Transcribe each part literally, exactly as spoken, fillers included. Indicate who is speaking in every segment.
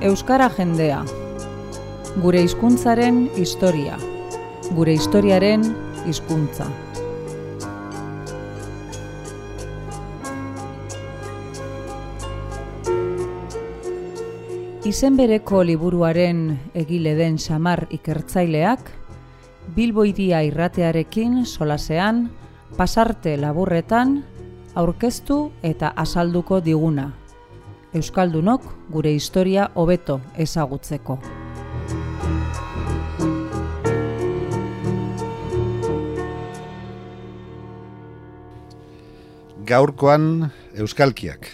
Speaker 1: Euskara jendea. Gure hizkuntzaren historia. Gure historiaren hizkuntza. Izen bereko liburuaren egile den Xamar ikertzaileak, Bilbo Hiria irratearekin solasean, pasarte laburretan, aurkeztu eta azalduko diguna. Euskaldunok gure historia hobeto ezagutzeko.
Speaker 2: Gaurkoan euskalkiak.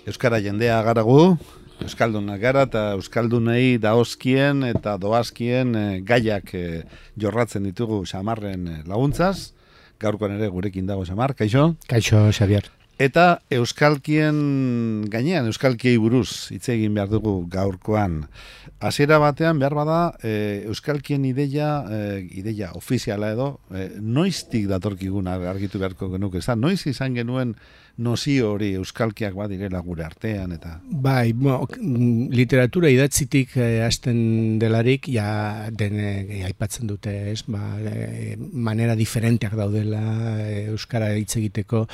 Speaker 2: Euskara jendea garagu, euskaldunak gara eta euskaldunei daozkien eta doazkien e, gaiak e, jorratzen ditugu Xamarren e, laguntzaz. Gaurkoan ere gurekin dago Xamar, kaixo?
Speaker 3: Kaixo, Xabier.
Speaker 2: Eta euskalkien gainean, euskalkiei buruz hitz egin behar dugu gaurkoan. Hasiera batean behar bada e, euskalkien ideia, e, ideia ofiziala edo, e, noiztik datorkigun argitu beharko genuke. Ez da, noiz izan genuen nozio hori euskalkiak badirela gure artean eta...
Speaker 3: Bai, bo, literatura idatzitik eh, hasten delarik, ja dene eh, aipatzen dute, ez? Ba, eh, manera diferenteak daudela eh, euskara hitz egiteko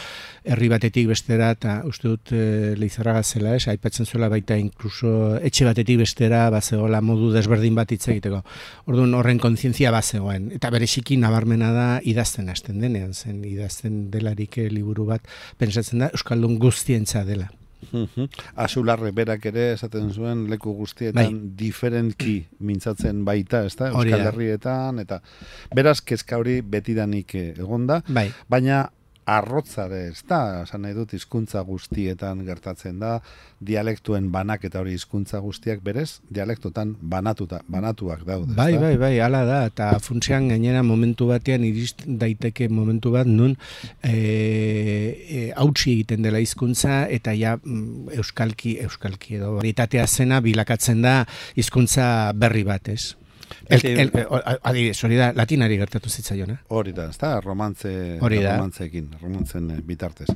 Speaker 3: herri batetik bestera, eta uste dut eh, Leizarraga zela, ez? Aipatzen zuela baita inkluso etxe batetik bestera bazegoela modu desberdin bat hitz egiteko. Orduan horren kontzientzia bazegoen, eta bereziki nabarmena da idazten hasten denean, zen idazten delarik eh, liburu bat, pentsatzen da euskaldun guztientza dela.
Speaker 2: Azularre berak ere esaten zuen leku guztietan bai. Diferentki mintzatzen baita, ezta? Euskal Herrietan eta beraz kezka hori betidanik egonda, bai. Baina arrotzare, ez da, esan nahi dut hizkuntza guztietan gertatzen da, dialektuen banak eta hori hizkuntza guztiak berez, dialektotan banatuta, banatuak daude.
Speaker 3: Bai, bai, bai, hala da, eta funtsean gainera momentu batean irist daiteke momentu bat nun e, e, hautsi egiten dela hizkuntza eta ja euskalki, euskalki edo varitatea zena bilakatzen da hizkuntza berri bat, ez? El, el, adibidez, hori da, latinari gertatu zitzaion, eh?
Speaker 2: Hori da, ez da, romantze, romantzeekin, romantzen bitartez.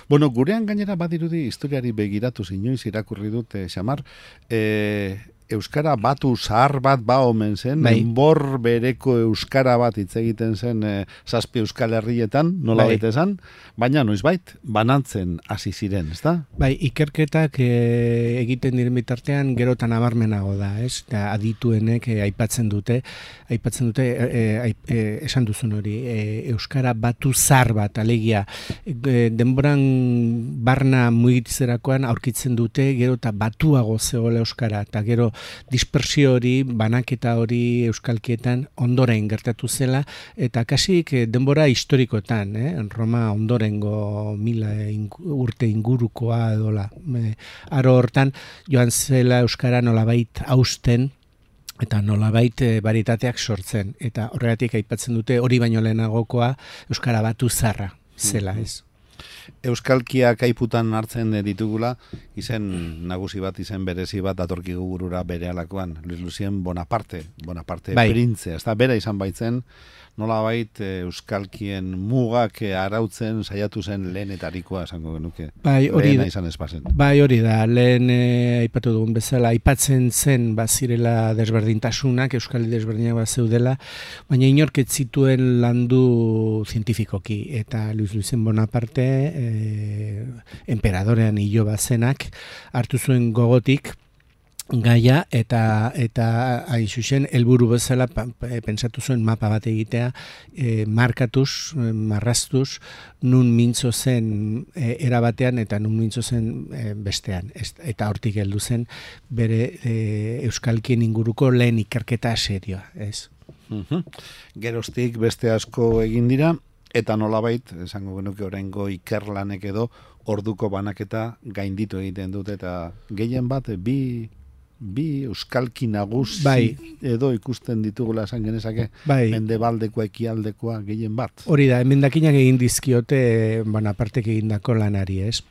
Speaker 2: Bueno, gurean gainera badirudi historiari begiratu inoiz irakurri dute, Xamar, e, euskara batu zahar bat ba omen zen, bai. Enbor bereko euskara bat hitz egiten zen e, zazpi euskal herrietan, nola bai. Baita esan, baina noizbait banantzen hasi ziren, ez da?
Speaker 3: Bai, ikerketak e, egiten diren bitartean gero eta nabarmenago da, ez? Da, adituenek e, aipatzen dute, aipatzen dute, e, e, e, esan duzun hori, e, euskara batu zahar bat, alegia, e, denboran barna mugitzerakoan aurkitzen dute gero eta batuago zegoela euskara, eta gero dispersio hori, banaketa hori euskalkietan ondoren gertatu zela, eta kasik denbora historikotan, eh? Roma ondorengo mila urte ingurukoa edola. E, aro hortan, joan zela euskara nolabait hausten, eta nolabait e, baritateak sortzen. Eta horregatik aipatzen dute hori baino lehenagokoa euskara batu zarra zela, ez?
Speaker 2: Euskalkiak aiputan hartzen ditugula, izen nagusi bat, izen berezi bat datorkigu burura berealakoan, Luis Lucien Bonaparte, Bonaparte bai. Printze, ez da bera izan baitzen, nolabait euskalkien mugak arautzen saiatu zen lehenetarikoa esango genuke.
Speaker 3: Bai, hori da.
Speaker 2: Izan espazen.
Speaker 3: Bai, hori da. Lehen eh, aipatu dugun bezala aipatzen zen bazirela desberdintasunak, euskal desberdinak bazeudela, baina inork ez zituen landu zientifikoki eta Luis Lucien Bonaparte eh, enperadorean hilo bazenak hartu zuen gogotik gaia eta eta hain zuzen helburu bezala pentsatu zuen mapa bat egitea, e, markatuz, marraztuz, nun mintzo zen e, era batean eta nun mintzo zen e, bestean. Ez, eta hortik heldu zen bere e, euskalkien inguruko lehen ikerketa serioa, ez?
Speaker 2: Uh-huh. Geroztik beste asko egin dira, eta nolabait, esango genuke oraingo ikerlanek edo orduko banaketa gainditu egiten dute, eta gehien bat, bi... bi euskalki nagusi bai. Edo ikusten ditugula esan genezake bai. Mendebaldekoa ekialdekoa gehien bat.
Speaker 3: Hori da, emendakinak egin dizkiote Bonapartek egindako lanari, ez?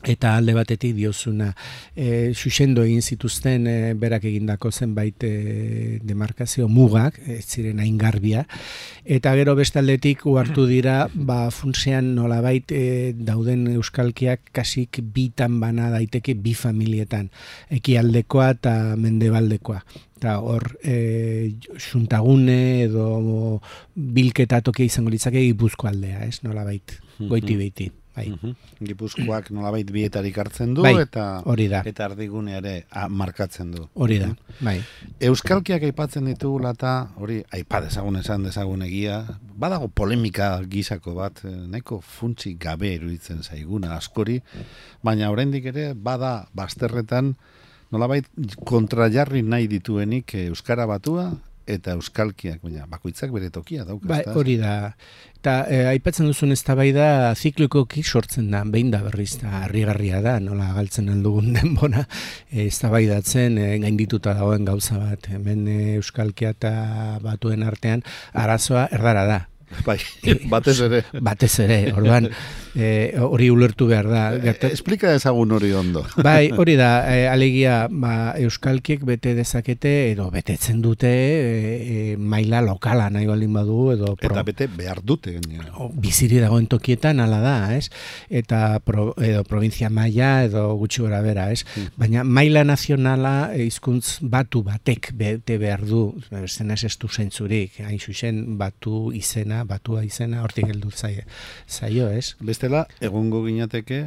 Speaker 3: eta alde batetik diozuna e, xuxendo egin zituzten e, berak egindako zenbait e, demarkazio mugak, ez ziren hain garbia, eta gero beste aldetik uhartu dira, ba, funtsean nolabait e, dauden euskalkiak kasik bitan bana daiteke bi familietan, ekialdekoa eta mendebaldekoa. Eta hor, e, xuntagune edo bilketa tokia izango litzake Gipuzko aldea, ez, nolabait, goiti beiti. Bai.
Speaker 2: Uh-huh. Gipuzkoak nolabait bietarik hartzen du,
Speaker 3: bai,
Speaker 2: eta eta erdigune ere a, markatzen du.
Speaker 3: Hori da, bai.
Speaker 2: Euskalkiak aipatzen ditugula eta hori aipa dezagun esan dezagun egia, badago polemika gisako bat, nahiko funtsi gabe iruditzen zaiguna askori, baina oraindik ere bada bazterretan nolabait kontrajarri nahi dituenik euskara batua eta euskalkiak, baina bakoitzak bere tokia dauka.
Speaker 3: Ba, hori da. Eta e, aipatzen duzun eztabaida ziklikoki sortzen da, behin da berriz, eta harrigarria da, nola galtzen aldugun denbora, e, eztabaidatzen e, gaindituta dagoen gauza bat. Hemen e, euskalkia eta batuen artean arazoa erdara da.
Speaker 2: Bai, batez ere.
Speaker 3: Batez ere, orduan, hori e, ulertu behar da.
Speaker 2: Gerta... Esplika ezagun hori ondo.
Speaker 3: Bai, hori da, e, alegia, ba, euskalkiek bete dezakete, edo betetzen dute, e, e, maila lokala nahi baldin badu, edo... Pro...
Speaker 2: Eta bete behar dute.
Speaker 3: O, biziri dagoen tokietan, ala da, ez? Eta pro, edo provintzia maila, edo gutxi gora bera, ez? Mm. Baina maila nazionala hizkuntz batu batek bete behar du, zen ez ez du zentzurik, hain zuzen batu izena, batua izena, hortik heldu zaio, zaio, ez?
Speaker 2: Bestela, egongo ginateke,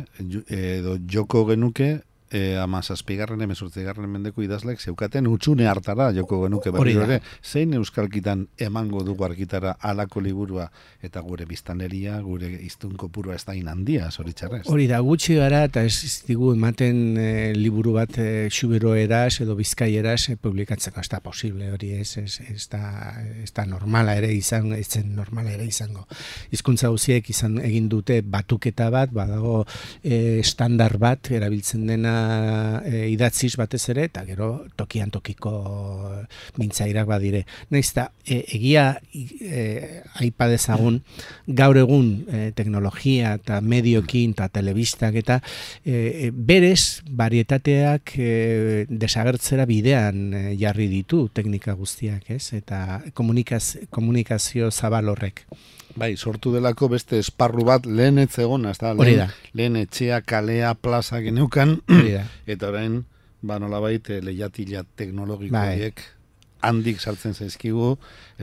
Speaker 2: edo joko genuke, e, ama zazpigarren, emezortzigarren mendeko idazlek zeukaten utxune hartara joko genuke berriro ere, zein euskalkitan emango dugu argitara alako liburua eta gure biztaneria, gure iztun kopurua ez da inandia, zoritxarrez.
Speaker 3: Hori da, gutxi gara eta ez digu ematen e, liburu bat e, xubero eraz edo bizkai eraz e, publikatzeko, ez da posible hori, ez, ez, ez, da, ez da normala ere izango, ez zen normala ere izango. Hizkuntza guztiek izan egin dute batuketa bat, badago e, estandar bat erabiltzen dena E, idatziz batez ere, eta gero tokian tokiko mintzairak badire. Naiz eta e, egia e, aipa dezagun, gaur egun e, teknologia eta mediokin eta telebistak eta e, berez varietateak e, desagertzera bidean e, jarri ditu teknika guztiak, ez? Eta komunikaz, komunikazio zabal horrek.
Speaker 2: Bai, sortu delako beste esparru bat lehen etzegona, ez da? Lehen, lehen etxea, kalea, plaza geneukan, eta orain, ba nolabait, lehiatila teknologikoiek handik sartzen zaizkigu,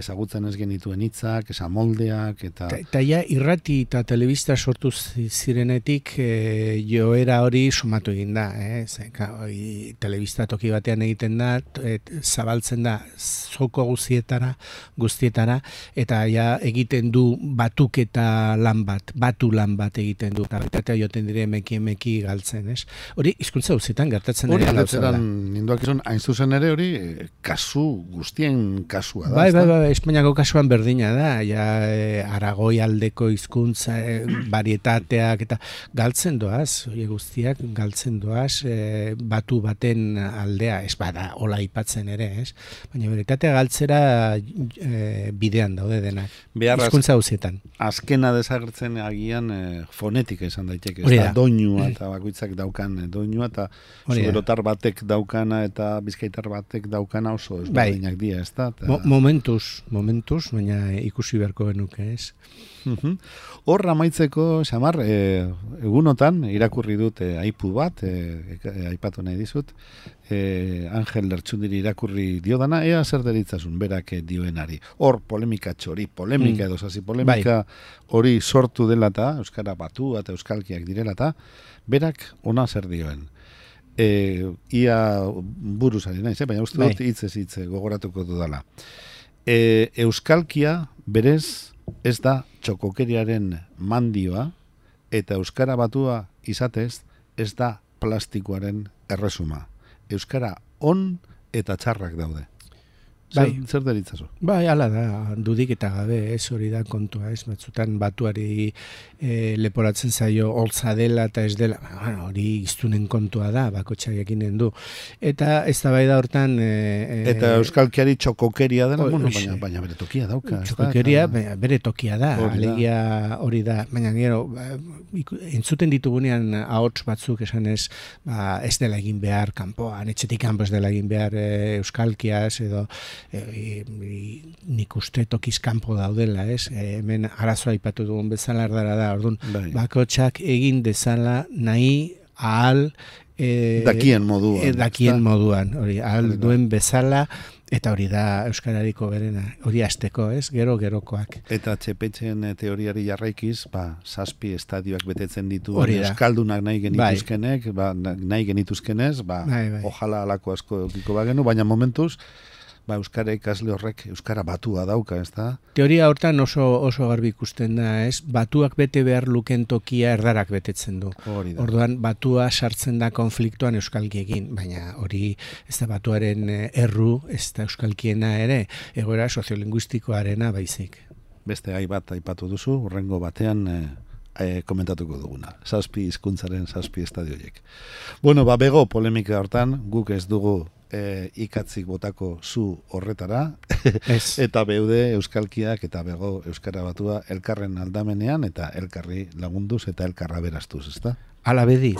Speaker 2: ezagutzen ez genituen hitzak, esamoldeak, eta...
Speaker 3: Eta ja, irrati eta telebista sortu zirenetik e, joera hori sumatu egin da, eh? Zeka, oi, telebista toki batean egiten da, et, zabaltzen da zoko guztietara, guztietara, eta ja egiten du batuketa lan bat, batu lan bat egiten du, eta baitatea joten dire emeki emeki galtzen, ez? Hori, hizkuntza guztietan gertatzen
Speaker 2: hori, galtzeran, ninduak izan, hain zuzen ere hori, kasu guztien kasua da.
Speaker 3: Bai, bai, bai, Espainiako kasuan berdina da, ja e, Aragoi aldeko hizkuntza e, varietateak eta galtzen doaz, hori guztiak galtzen doaz, e, batu baten aldea, ez bada, hola aipatzen ere, ez? Baina varietatea galtzera e, bidean daude denak. Hizkuntza guztietan.
Speaker 2: Azkena desagertzen agian e, fonetika izan daiteke, ez da, doinua eta bakoitzak daukan e, doinua eta zuberotar batek daukana eta bizkaitar batek daukana oso ez bai. Dia, ez da?
Speaker 3: Mo momentuz, momentuz, baina ikusi beharko genuke, ez?
Speaker 2: Hor amaitzeko, Xamar, e, egunotan irakurri dut e, aipu bat, e, e, aipatu nahi dizut, e, Angel Lertxundiri irakurri diodana, ea zer deritzazun, berak dioenari. Hor polemika txori, polemika mm. edo zazi, polemika hori bai. Sortu dela eta, euskara batu eta euskalkiak direla eta, berak ona zer dioen. E, ia buruz ari naiz, eh? Baina uste dut hitzez hitze gogoratuko dudala. E, euskalkia berez ez da txokokeriaren mandioa eta euskara batua izatez ez da plastikoaren erresuma. Euskara on eta txarrak daude. Zer, bai. Zer deritzazu?
Speaker 3: Bai, ala da, dudik eta gabe, ez hori da kontua, ez, batzutan batuari e, leporatzen zaio holtza dela eta ez dela, bueno, hori iztunen kontua da, bakotxak ekinen du. Eta ez da bai da hortan... E,
Speaker 2: eta euskalkiari txokokeria dela, bueno, baina, baina bere tokia dauka.
Speaker 3: Txokokeria, eta... bere tokia da, alegia hori da, baina gero, entzuten ditugunean ahots batzuk esan ez, ba, ez dela egin behar kanpoan, etxetik kanpo ez dela egin behar e, euskalkiaz edo E, e, nik uste tokiz kanpo daudela, ez? E, hemen arazoa aipatu dugun bezala erdara da, orduan, bai. Bakotxak egin dezala nahi ahal e,
Speaker 2: dakien moduan.
Speaker 3: E, dakien moduan, hori, ahal hori duen bezala, eta hori da euskarariko berena, hori hasteko, ez? Gero gerokoak.
Speaker 2: Eta txepetxen teoriari jarraikiz, ba, zazpi estadioak betetzen ditu euskaldunak nahi genituzkenek, bai. Ba, nahi genituzkenez, ba, bai, bai. Ojala alako asko eukiko bagenu, baina momentuz, ba, euskara ikasle horrek euskara batua dauka, ez da?
Speaker 3: Teoria hortan oso oso garbi ikusten da, ez? Batuak bete behar luken tokia erdarak betetzen du. Orduan, batua sartzen da konfliktuan euskalkiekin, baina hori ez da batuaren erru, ez da euskalkiena ere, egoera soziolinguistikoarena baizik.
Speaker 2: Beste gai bat aipatu duzu, urrengo batean... E... E, komentatuko duguna. Zazpi hizkuntzaren zazpi estadioiek. Bueno, ba, bego polemika hortan, guk ez dugu e, ikatzik botako zu horretara, eta beude euskalkiak eta bego euskara batua elkarren aldamenean eta elkarri lagunduz eta elkarra beraztuz, ezta?
Speaker 3: Hala bedi.